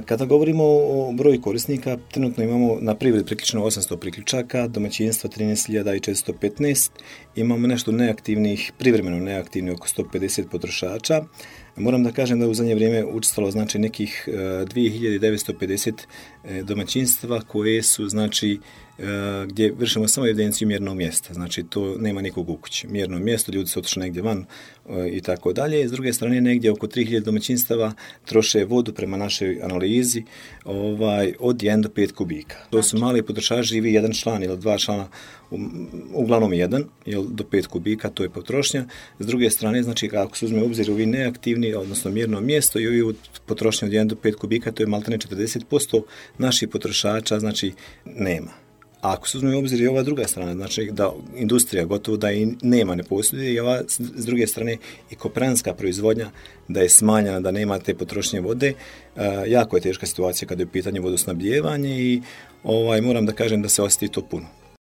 Kada govorimo o broju korisnika, trenutno imamo na privredi priključeno 800 priključaka, domaćinstva 13.415, imamo nešto neaktivnih, privremeno neaktivnih oko 150 potrošača. Moram da kažem da u zadnje vrijeme učestvovalo znači nekih 2950 domaćinstva koje su znači gdje vršimo samo evidenciju mjernog mjesta, znači to nema nikog u kući. Mjerno mjesto, ljudi su otišli negdje van i tako dalje. S druge strane, negdje oko 3000 domaćinstava troše vodu prema našoj analizi od 1 do 5 kubika. To su mali potrošači, živi jedan član ili dva člana, uglavnom jedan, do 5 kubika, to je potrošnja. S druge strane, znači ako se uzme u obzir ovi neaktivni, odnosno mjerno mjesto i ovi potrošnje od 1 do 5 kubika, to je maltene 40% naših potrošača, znači nema. A ako se uzme u obzir i ova druga strana, znači da industrija gotovo da i nema, ne posjeduje, i ova s druge strane i kooperantska proizvodnja da je smanjena, da nema te potrošnje vode, jako je teška situacija kada je u pitanju vodosnabdijevanje i moram da kažem da se osjeti to puno.